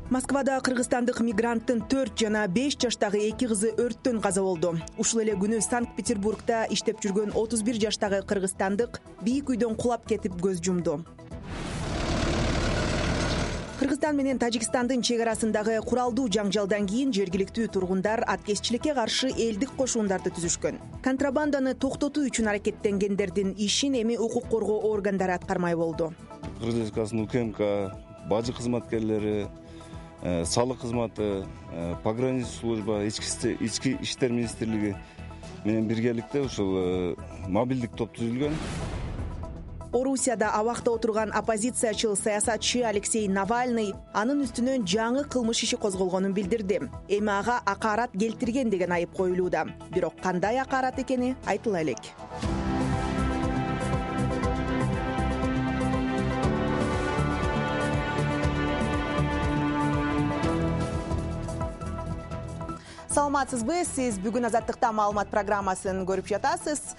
Москвада кыргызстандык мигранттын 4 жана 5 жаштагы 2 кызы өрттөн каза болду. Ушул эле күнү Санкт-Петербургда иштеп жүргөн 31 жаштагы кыргызстандык бийик үйдөн кулап кетип көз жумду. Кыргызстан менен Тажикстандын чек арасындагы куралдуу жаңжалдан кийин жергиликтүү тургундар аткезчиликке каршы элдик кошуундарды түзүшкөн. Контрабанданы токтотуу үчүн аракеттенгендердин ишин эми укук коргоо органдары аткармай болду. Кыргыз Республикасынын УКМК, бажы кызматкерлери, салык кызматы, пограничный служба, ички иштер министрлиги менен биргеликте ушул мобилдик топ түзүлгөн. Орусияда абакта отурган оппозициячыл саясатчы Алексей Навальный анын үстүнөн жаңы кылмыш иши козголгонун билдирди. Эми ага акарат келтирген деген айып коюлууда. Бирок кандай акарат экени айтыла элек. Саламатсызбы? Сиз бүгүн Азаттыкта маалымат программасын көрүп жатасыз.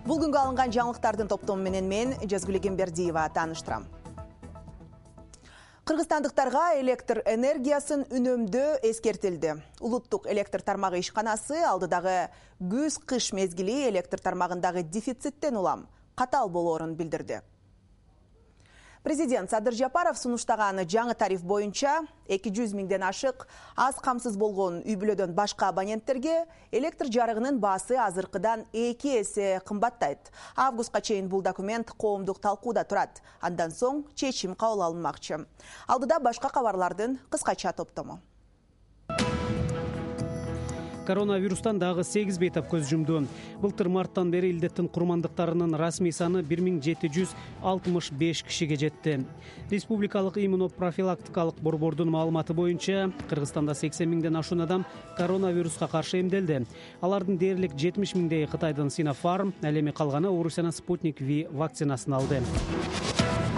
Бул күнгө алынган жаңылыктардын топтому менен мен Жазгүл Эгембердиева тааныштырам. Кыргызстандыктарга электр энергиясын үнөмдөө эскертилди. Улуттук электр тармагы ишканасы алдыдагы күз-кыш мезгили электр тармагындагы дефициттен улам катаал болоорун билдирди. Президент Садыр Жапаров сунуштаган жаңы тариф боюнча 200 миңден ашык аз камсыз болгон үй-бүлөдөн башка абоненттерге электр жарыгынын баасы азыркыдан 2 эсе кымбаттайт. Августка чейин бул документ коомдук талкууда турат. Андан соң чечим кабыл алынмакчы. Алдыда башка кабарлардын кыскача топтому. Коронавирустан дагы 8 бейтап көз жумду. Былтыр марттан бери илдеттин курмандыктарынын расмий саны 1765 кишиге жетти. Республикалык иммунопрофилактикалык борбордун маалыматы боюнча, Кыргызстанда 80 миңден ашуун адам коронавируска каршы эмделди. Алардын дээрлик 70 миңдеги Кытайдын Sinopharm, ал эми калганы Орусиянын Sputnik V вакцинасын алды.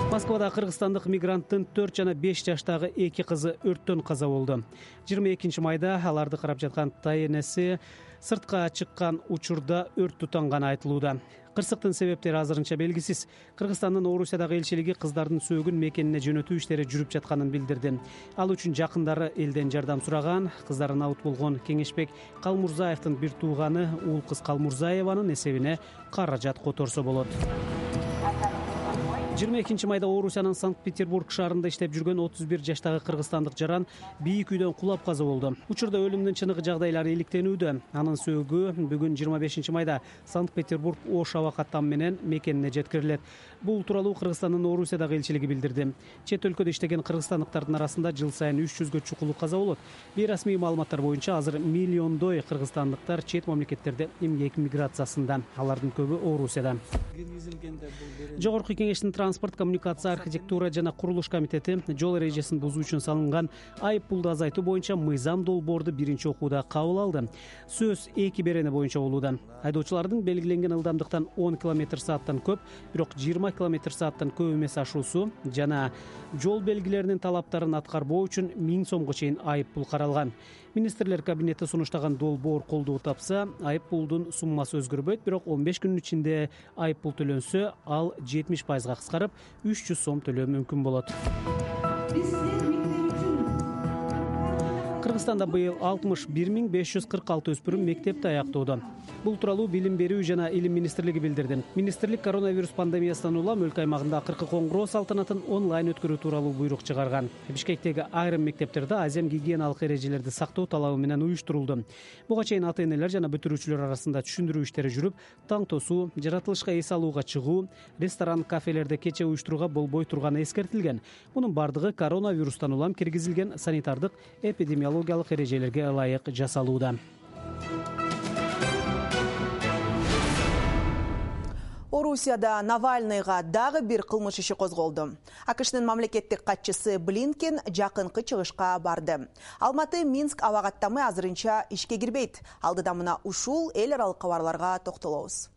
Москвада кыргызстандык мигранттын 4 жана 5 жаштагы 2 кызы өрттөн каза болду. 22 майда аларды карап жаткан тайенеси сыртка чыккан учурда өрт тутанганы айтылууда. Кырсыктын себептери азырынча белгисиз. Кыргызстандын Орусиядагы элчилиги кыздардын сөөгүн мекенине жөнөтүү иштери жүрүп жатканын билдирди. Ал үчүн жакындары элден жардам сураган. Кыздарын абут болгон Кеңешбек Калмурзаевдин бир тууганы Уул кыз Калмурзаеванын эсебине каражат которсо болот. 22 майда Орусиянын Санкт-Петербург шаарында иштеп жүргөн 31 жаштагы кыргызстандык жаран бийик үйдөн кулап каза болду. Учурда өлүмдүн чыныгы жагдайлары иликтенүүдө. Анын сөөгү бүгүн 25 майда Санкт-Петербург Ош аба каттам менен мекенине жеткирилет. Бул тууралуу Кыргызстандын Орусиядагы элчилиги билдирди. Чет өлкөдө иштеген кыргызстандыктардын арасында жыл сайын 300гө чукулу каза болот. Бейрасмий маалыматтар боюнча азыр миллиондой кыргызстандыктар чет мамлекеттерде эмгек миграциясында. Алардын көбү Орусияда. Жогорку кеңештин транспорт, коммуникация, архитектура жана курулуш комитети жол эрежесин бузуу үчүн салынган айып пулду азайтуу боюнча мыйзам долбоорду биринчи окууда кабыл алды. Сөз 2 берене боюнча болууда. Айдоочулардын белгиленген ылдамдыктан 10 км/сааттан көп, бирок 20 км/сааттан көп эмес ашуусу жана жол белгилеринин талаптарын аткарбоо үчүн 1000 сомго чейин айып пул каралган. Министрлер кабинети сунуштаган долбоор колдоо тапса, айып пулдун суммасы өзгөрбөйт, бирок 15 күнүн ичинде айып пул төлөнсө, ал 70%га кыскарып 300 сом төлөө мүмкүн болот. Кыргызстанда быйыл 61546 өспүрүм мектепти аяктоодо. Бул тууралуу Билим берүү жана Илим министрлиги билдирди. Министрлик коронавирус пандемиясынан улам өлкө аймагында акыркы коңгуроо салтанатын онлайн өткөрүү тууралуу буйрук чыгарган. Бишкектеги айрым мектептерде азем гигиеналык эрежелерди сактоо талабы менен уюштурулду. Буга чейин ата-энелер жана бүтүрүүчүлөр арасында түшүндүрүү иштери жүрүп, таң тосуу, жаратылышка эс алууга чыгуу, ресторан, кафелерде кече уюштурууга болбой турганы эскертилген. Мунун бардыгы коронавирустан улам киргизилген санитардык эпидемиологиялык эрежелерге ылайык жасалууда. Орусияда Навальныйга дагы бир кылмыш иши козголду. АКШнын мамлекеттик катчысы Блинкен жакынкы чыгышка барды. Алматы-Минск аба каттамы азырынча ишке кирбейт. Алдыда мына ушул эл аралык кабарларга токтолобуз.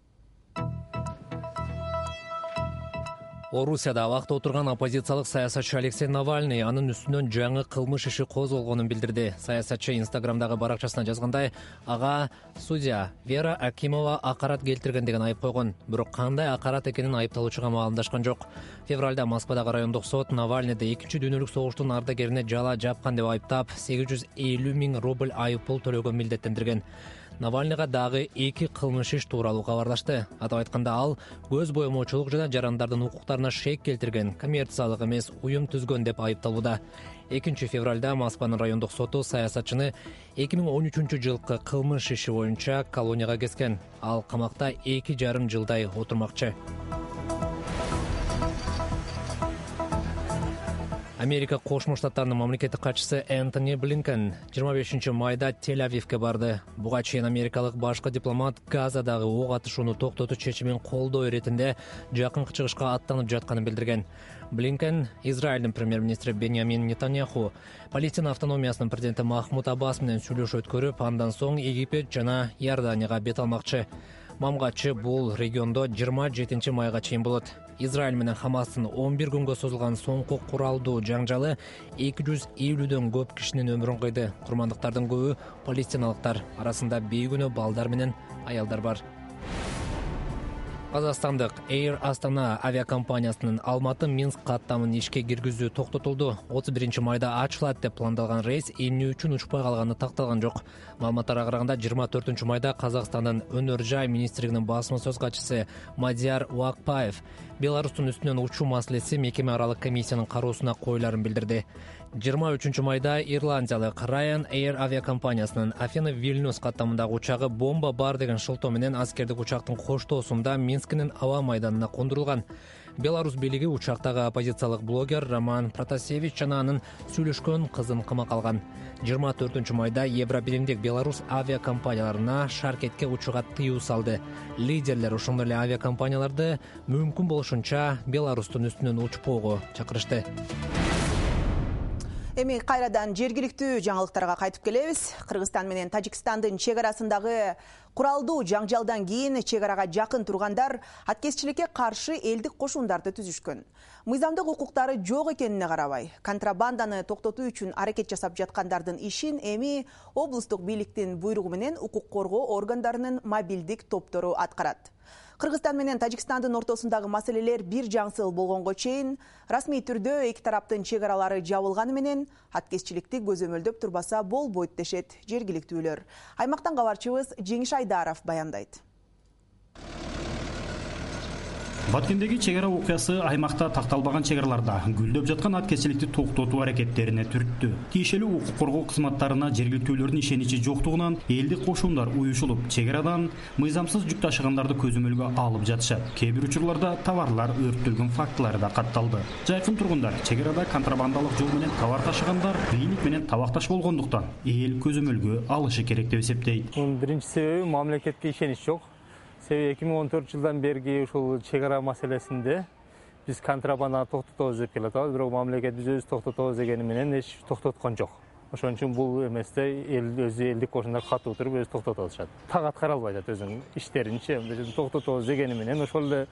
Орусияда абакта отурган оппозициялык саясатчы Алексей Навальный анын үстүнөн жаңы кылмыш иши козголгонун билдирди. Саясатчы Инстаграмдагы баракчасына жазгандай, ага судья Вера Акимова акарат келтирген деген айып койгон. Бирок кандай акарат экенин айыпталуучуга маалымдашкан жок. Февралда Москвадагы райондук сот Навальныйды 2-дүйнөлүк согуштун ардагерине жала жапкан деп айыптап, 850 000 рубль айып пул төлөгө милдеттендирген. Навальныйга дагы 2 кылмыш иш тууралуу кабарлашты. Атап айтканда, ал көз боемоочулук жана жарандардын укуктарына шек келтирген, коммерциялык эмес уюм түзгөн деп айыпталууда. 2 февралда Москванын райондук соту саясатчыны 2013 жылкы кылмыш иши боюнча колонияга kesкен. Ал камакта 2,5 жылдай отурмакчы. Америка Кошмо Штаттарынын мамлекеттик катчысы Энтони Блинкен 25 майда Тель-Авивге барды. Буга чейин америкалык башкы дипломат Газадагы ок атышууну токтотуу чечимин колдоо иретинде жакынкы чыгышка аттанып жатканын билдирген. Блинкен Израилдин премьер-министри Беньямин Нетаньяху, Палестина автономиясынын президенти Махмуд Аббас менен сүйлөшүү өткөрүп, андан соң Египет жана Иорданияга бет алмакчы. Мамгачы бул региондо 27 майга чейин болот. Израиль менен Хамастын 11 күнгө созулган соңку куралдуу жаңжалы 250дөн көп кишинин өмүрүн кыйды. Курмандыктардын көбү палестиналыктар, арасында бейкүнөө балдар менен аялдар бар. Казакстандык Air Astana авиакомпаниясынын Алматы-Минск каттамын ишке киргизүү токтотулду. 31 майда ачылат деп пландалган рейс эмне үчүн учпай калганы такталган жок. Маалыматтарга караганда 24 майда Казакстандын өнөр жай министрлигинин басма сөз катчысы Мадияр Уакпаев Беларустун үстүнөн учуу маселеси мекеме аралык комиссиянын кароосуна коюларын билдирди. 23 майда ирландиялык Ryan Air авиакомпаниясынын Афина-Вильнюс каттамындагы учагы бомба бар деген шылтоо менен аскердик учактын коштоосунда Минскинин аба майданына кондурулган. Беларусь бийлиги учактагы оппозициялык блогер Роман Протасевич жана анын сүйлөшкөн кызын камакка алган. 24 майда Евробиримдик Беларусь авиакомпанияларына шаркетке учууга тыюу салды. Лидерлер ошондой эле авиакомпанияларды мүмкүн болушунча Беларустун үстүнөн учпоого чакырышты. Эми кайрадан жергиликтүү жаңылыктарга кайтып келебиз. Кыргызстан менен Тажикстандын чек арасындагы куралдуу жаңжалдан кийин чек арага жакын тургандар аткезчиликке каршы элдик кошундарды түзүшкөн. Мыйзамдык укуктары жок экенине карабай, контрабанданы токтотуу үчүн аракет жасап жаткандардын ишин эми облустук бийликтин буйругу менен укук коргоо органдарынын мобилдик топтору аткарат. Кыргызстан менен Тажикстандын ортосундагы маселелер бир жаңсыл болгонго чейин расмий түрдө эки тараптын чек аралары жабылганы менен аткезчиликти көзөмөлдөп турбаса болбойт дешет жергиликтүүлөр. Аймактан кабарчыбыз Жеңиш Айдаров баяндайт. Баткендеги чек ара окуясы аймакта такталбаган чек араларда гүлдөп жаткан аткезчиликти токтотуу аракеттерине түрттү. Тиешелүү укук коргоо кызматтарына жергиликтүүлөрдүн ишеничи жоктугунан элдик кошундар уюшулуп, чек арадан мыйзамсыз жүк ташыгандарды көзөмөлгө алып жатышат. Кээ бир учурларда товарлар өрттөлгөн фактылары да катталды. Жайкын тургундар чек арада контрабандалык жол менен товар ташыгандар бийлик менен табакташ болгондуктан эл көзөмөлгө алышы керек деп эсептейт. Биринчи себеби мамлекетке ишенич жок. Себеби 2014 жылдан берги ушул чек ара маселесинде биз контрабанданы токтотобуз деп келатабыз, бирок мамлекет биз өзүбүз токтотобуз дегени менен эч токтоткон жок. Ошон үчүн бул эместе элдик кошундар катуу туруп өзү токтотуп атышат. Так аткара албай атат өзүнүн иштеринчи токтотобуз дегени менен ошол эле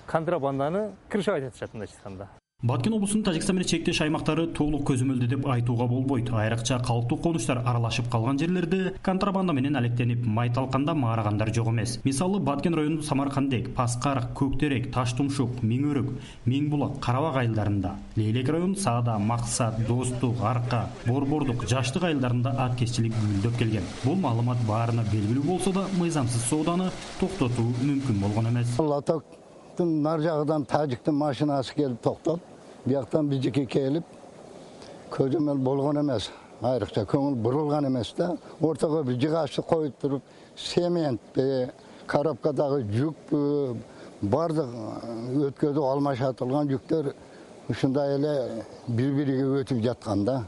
контрабанданы крышага айтышат мындайча айтканда. Баткен облусунун Тажикстан менен чектеш аймактары толук көзөмөлдү деп айтууга болбойт. Айрыкча калктуу конуштар аралашып калган жерлерде контрабанда менен алектенип май талканда маарыгандар жок эмес. Мисалы, Баткен районунун Самаркандек, Паскар, Көктерек, Таштумшук, Миңөрөк, Миңбулак, Карабак айылдарында, Лейлек районунун Саада, Максат, Достук, Арка, Борбордук, Жаштык айылдарында аткезчилик гүлдөп келген. Бул маалымат баарына белгилүү болсо да, мыйзамсыз сооданы токтотуу мүмкүн болгон эмес. Нар жагынан тажиктин машинасы келип токтоп, бияктан бижеке келип көзөмөл болгон эмес. Айрыкча көңүл бурулган эмес да. Ортого бир жыгачты коюп туруп, семент, коробкадагы жүк бардык өткөзүп алмашатылган жүктөр ушундай эле бири-бириге өтүп жатканда.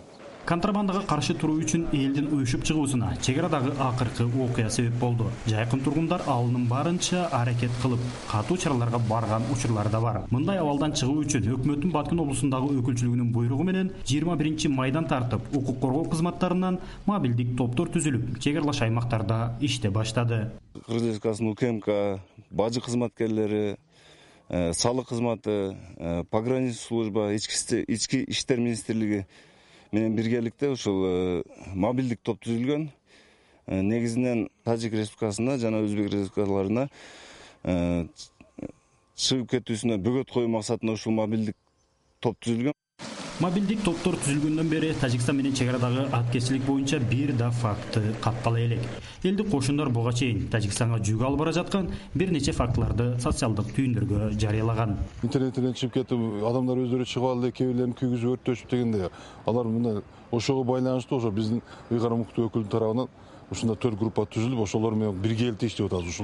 Контрабандага каршы туруу үчүн элдин уюшуп чыгуусуна чек арадагы акыркы окуя себеп болду. Жайкын тургундар алынын барынча аракет кылып, катуу чараларга барган учурлар да бар. Мындай абалдан чыгуу үчүн өкмөттүн Баткен облусундагы өкүлчүлүгүнүн буйругу менен 21 майдан тартып, укук коргоо кызматтарынан мобилдик топтор түзүлүп, чек аралаш аймактарда иште баштады. Кыргыз Республикасынын УКМК бажы кызматкерлери, салык кызматы, пограничный служба, ички иштер министрлиги менен биргеликте ушул мобилдик топ түзүлгөн. Негизинен Тажик Республикасына жана Өзбек Республикаларына чыгып кетүүсүнө бөгөт коюу максатында ушул мобилдик топ түзүлгөн. Мобилдик топтор түзүлгөндөн бери Тажикстан менен чек арадагы аткезчилик боюнча бир да факты каттала элек. Элдик кошундор буга чейин Тажикстанга жүк алып бара жаткан бир нече фактыларды социалдык түйүндөргө жарыялаган. Интернеттен чыгып кетип, адамдар өздөрү чыгып алды, кээ бирлерин күйгүзүп өрттөшүп дегенде, алар мына ошого байланыштуу ошо биздин ыйгарым укуктуу өкүлдүн тарабынан ушунда 4 группа түзүлүп, ошолор менен биргеликте иштеп атабыз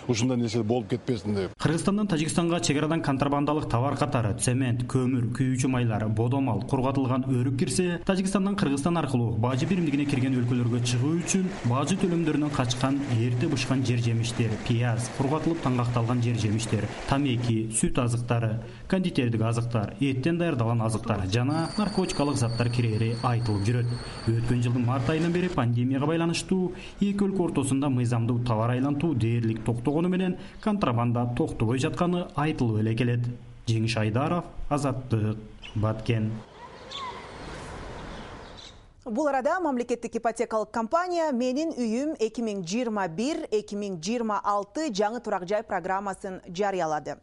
ушундай нерсе болуп кетпесин деп. Кыргызстандан Тажикстанга чек арадан контрабандалык товар катары цемент, көмүр, күйүүчү майлар, бодомал, кургатылган өрүк кирсе, Тажикстандан Кыргызстан аркылуу бажы биримдигине кирген өлкөлөргө чыгуу үчүн бажы төлөмдөрүнөн качкан эрте бышкан жер жемиштер, пияз, кургатылып таңгакталган жер жемиштер, тамеки, сүт азыктары, кондитердик азыктар, эттен даярдалган азыктар жана наркотикалык заттар кирери айтылып жүрөт. Өткөн жылдын март айынан бери пандемияга байланыштуу эки өлкө ортосунда мыйзамдуу товар айлантуу дээрлик токтогону менен контрабанда токтобой жатканы айтылып эле келет. Жеңиш Айдаров, Азаттык, Баткен. Бул арада мамлекеттик ипотекалык компания «Менин үйүм 2021-2026» жаңы турак жай программасын жарыялады.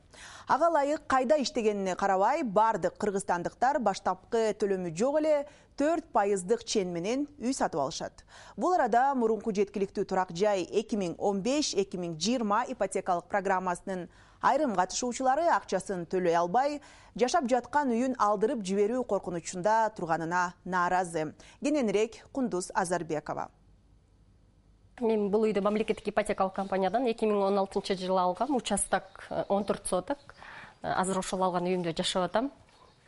Ага ылайык кайда иштегенине карабай, бардык кыргызстандыктар баштапкы төлөмү жок эле 4% чен менен үй сатып алышат. Бул арада мурунку жеткиликтүү турак жай 2015-2020 ипотекалык программасынын айрым катышуучулары акчасын төлөй албай, жашап жаткан үйүн алдырып жиберүү коркунучунда турганына нааразы. Кененирээк Кундуз Азарбекова. Мен бул үйдү мамлекеттик ипотекалык компаниядан 2016-жылы алгам, участок 14 соток. Азыр ошол алган үйүмдө жашап атам.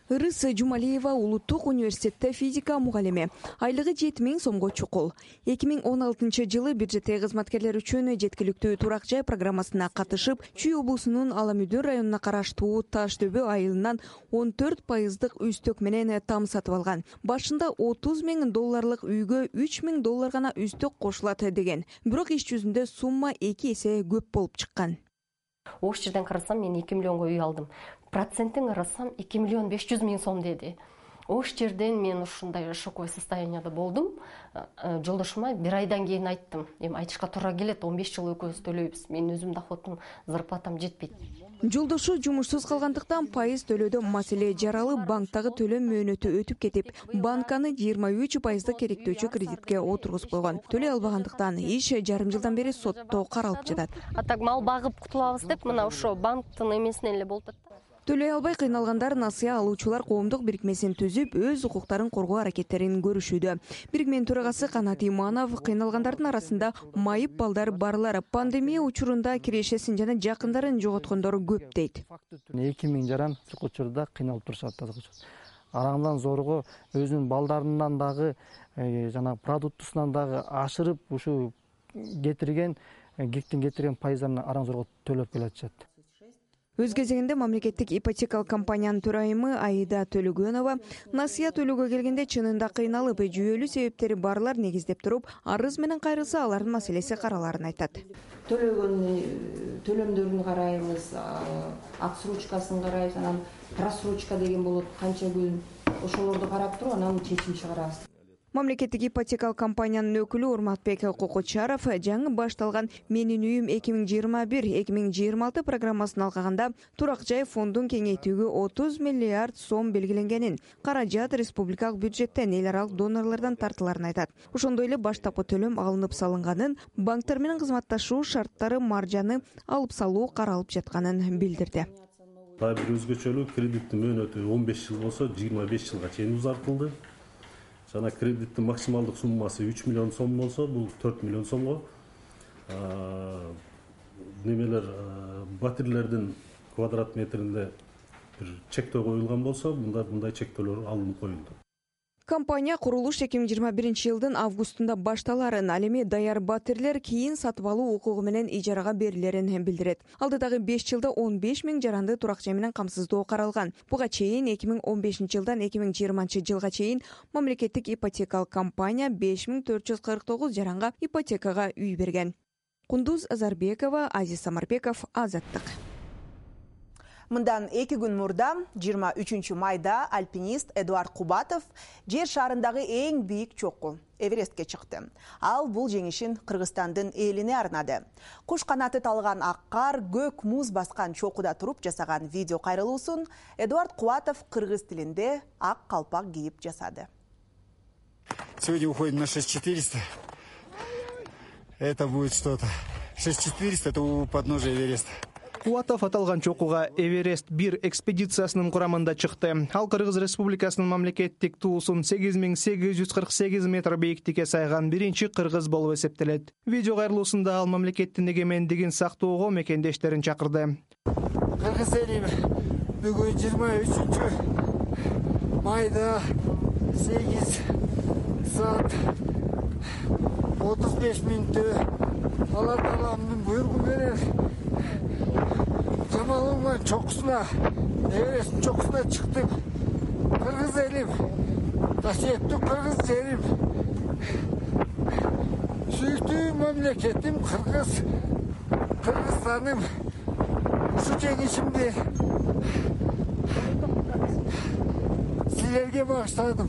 Ырыс Жумалиева улуттук университетте физика мугалими. Айлыгы 7000 сомго чукул. 2016-жылы бюджеттеги кызматкерлер үчүн жеткиликтүү турак жай программасына катышып, Чүй облусунун Аламүдүн районуна караштуу Таш дөбө айылынан 14% үстөк менен там сатып алган. Башында $30,000 үйгө $3,000 гана үстөк кошулат деген. Бирок иш жүзүндө сумма 2 эсе көп болуп чыккан. Ош жерден карасам мен 2 миллионго үй алдым. Процентин карасам 2,5 миллион сом деди. Ош жерден мен ушундай шоковый состоянияда болдум. Жолдошума бир айдан кийин айттым. Эми айтышка туура келет, 15 жыл экөөбүз төлөйбүз. Менин өзүм доходум, зарплатам жетпейт. Жолдошу жумушсуз калгандыктан пайыз төлөөдө маселе жаралып, банктагы төлөм мөөнөтү өтүп кетип, банканы 23% керектөөчү кредитке отургузуп койгон. Төлөй албагандыктан иш жарым жылдан бери сотто каралып жатат. Так мал багып кутулабыз деп, мына ошо банктын эмесинен эле болуп атат. Төлөй албай кыйналгандар насыя алуучулар коомдук бирикмесин түзүп, өз укуктарын коргоо аракеттерин көрүшүүдө. Бирикменин төрагасы Канат Иманов кыйналгандардын арасында майып балдар барлар, пандемия учурунда кирешесин жана жакындарын жоготкондор көп дейт. 2000 жаран учурда кыйналып турушат. Араңдан зорго өзүнүн балдарынан дагы жана продуктусунан дагы ашырып ушу кетирген гектин кетирген пайыздарын араң зорго төлөп келатышат. Өз кезегинде мамлекеттик ипотекалык компаниянын төрайымы Аида Төлөгөнова насыя төлөөгө келгенде чынында кыйналып, жүйөлүү себептери барлар негиздеп туруп, арыз менен кайрылса алардын маселеси караларын айтат. Төлөгөн төлөмдөрүн карайбыз, отсрочкасын карайбыз, анан просрочка деген болот, канча күн, ошолорду карап туруп, анан чечим чыгарабыз. Мамлекеттик ипотекалык компаниянын өкүлү Урматбек Кокочаров жаңы башталган «Менин үйүм 2021-2026» программасын алгаганда турак жай фондун кеңейтүүгө 30 миллиард сом белгиленгенин, каражат республикалык бюджеттен, эл аралык донорлордон тартыларын айтат. Ошондой эле баштапкы төлөм алынып салынганын, банктар менен кызматташуу шарттары маржаны алып салуу каралып жатканын билдирди. Бир өзгөчөлүк кредиттин мөөнөтү 15 жыл болсо 25 жылга чейин узартылды. Жана кредиттин максималдык суммасы 3 миллион сом болсо, бул 4 миллион сомго. Немелер батирлердин квадрат метринде бир чектөө коюлган болсо, мындай чектөөлөр алынып коюлду. Компания курулуш 2021 жылдын августунда башталарын, ал эми даяр батирлер кийин сатып алуу укугу менен ижарага берилерин билдирет. Алдыдагы 5 жылда 15 000 жаранды турак жай менен камсыздоо каралган. Буга чейин 2015 жылдан 2020 жылга чейин мамлекеттик ипотекалык компания 5449 жаранга ипотекага үй берген. Кундуз Азарбекова, Азиз Самарбеков, Азаттык. Мындан 2 күн мурда 23 майда альпинист Эдуард Кубатов жер шарындагы эң бийик чокку Эверестке чыкты. Ал бул жеңишин Кыргызстандын элине арнады. Куш канаты талган ак кар, көк муз баскан чокуда туруп жасаган видео кайрылуусун Эдуард Кубатов кыргыз тилинде ак калпак кийип жасады. Сегодня уходим на 6400. Это будет что-то. 6400 это у подножия Эвереста. Кубатов аталган чокуга Эверест-1 экспедициясынын курамында чыкты. Ал Кыргыз Республикасынын мамлекеттик туусун 8848 метр бийиктикке сайган биринчи кыргыз болуп эсептелет. Видео кайрылуусунда ал мамлекеттин эгемендигин сактоого мекендештерин чакырды. Кыргыз эли бүгүн 23 майда 8 saat 35 мүнөттө Алла Тааланын буйругу менен Жамалынган чокусуна, Эвересттин чокусуна чыктык. Кыргыз элим, касиеттүү кыргыз жерим, сүйүктүү мамлекетим Кыргызстаным, ушу жеңишимди силерге багыштадым.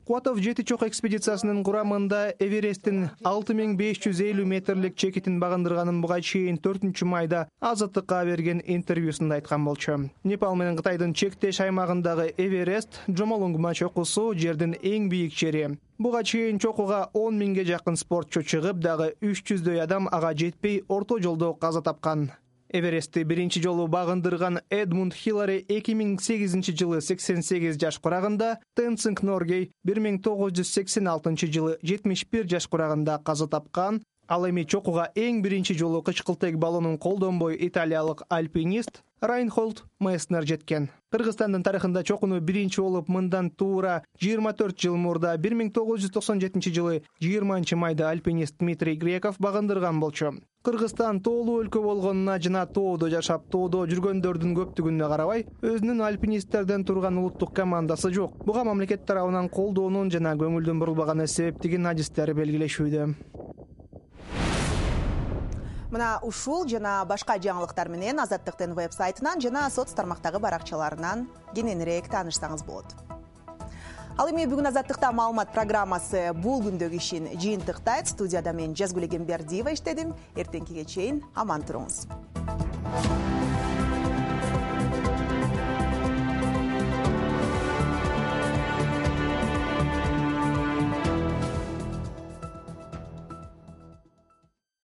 Кубатов 7 чок экспедициясынын курамында Эвересттин 6550 метрлик чекитин багындырганын буга чейин 4 майда Азаттыкка берген интервьюсунда айткан болчу. Непал менен Кытайдын чектеш аймагындагы Эверест Жомолунгма чокусу жердин эң бийик жери. Буга чейин чокуга 10 миңге жакын спортчу чыгып, дагы 300дөй адам ага жетпей орто жолдо каза тапкан. Эверестти биринчи жолу багындырган Эдмунд Хиллари 2008 жылы 88 жаш курагында, Тенцинг Норгей 1986 жылы 71 жаш курагында каза тапкан. Ал эми чокуга эң биринчи жолу кычкылтек баллонун колдонбой италиялык альпинист Райнхольд Месснер жеткен. Кыргызстандын тарыхында чокуну биринчи болуп мындан туура 24 жыл мурда 1997 жылы 20 майда альпинист Дмитрий Греков багындырган болчу. Кыргызстан тоолуу өлкө болгонуна жана тоодо жашап, тоодо жүргөндөрдүн көптүгүнө карабай, өзүнүн альпинисттерден турган улуттук командасы жок. Буга мамлекет тарабынан колдоонун жана көңүлдүн бурулбаганы себептигин адистер белгилешүүдө. Мына ушул жана башка жаңылыктар менен Азаттыктын веб-сайтынан жана соц тармактагы баракчаларынан кененирээк таанышсаңыз болот. Ал эми бүгүн Азаттыкта маалымат программасы бул күндөгү ишин жыйынтыктайт. Студияда мен Жазгүл Эгембердиева иштедим. Эртеңкиге чейин аман туруңуз.